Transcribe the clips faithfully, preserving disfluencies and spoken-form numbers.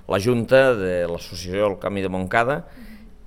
la Junta de l'Associació del Camí de Montcada,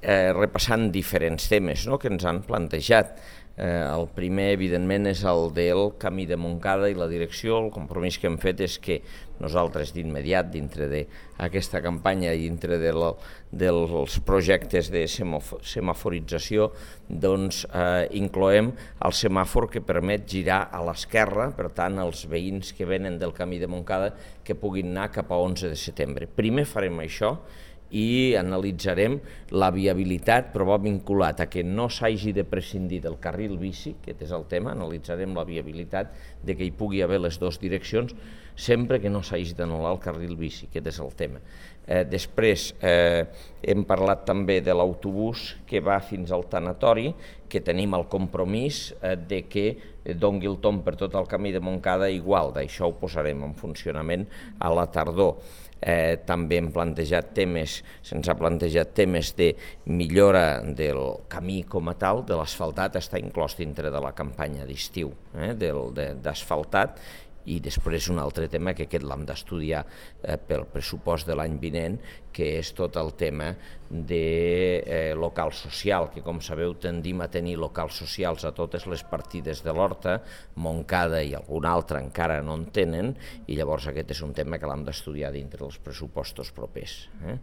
eh, repassant diferents temes, no?, que ens han plantejat. Eh, el primer, evidentment, és el del Camí de Montcada i la direcció. El compromís que hem fet és que nosaltres d'immediat, dintre d'aquesta campanya i dintre de la, dels projectes de semaforització, doncs eh, incloem el semàfor que permet girar a l'esquerra, per tant, els veïns que venen del Camí de Montcada que puguin anar cap a onze de setembre. Primer farem això i analitzarem la viabilitat, però va vinculat a que no s'hagi de prescindir del carril bici, aquest és el tema, analitzarem la viabilitat de que hi pugui haver les dues direccions, sempre que no s'hagi d'anul·lar el carril bici, aquest és el tema. Eh, després eh, hem parlat també de l'autobús que va fins al tanatori, que tenim el compromís eh, de que doni el tomb per tot el Camí de Montcada igual, d'això ho posarem en funcionament a la tardor. Eh, també hem plantejat temes, se'ns ha plantejat temes de millora del camí com a tal, de l'asfaltat, està inclòs dintre de la campanya d'estiu eh, d'asfaltat, i després un altre tema que aquest l'hem d'estudiar eh, pel pressupost de l'any vinent, que és tot el tema de eh, local social, que com sabeu tendim a tenir locals socials a totes les partides de l'Horta, Montcada i algun altre encara no en tenen, i llavors aquest és un tema que l'hem d'estudiar dintre dels pressupostos propers. Eh?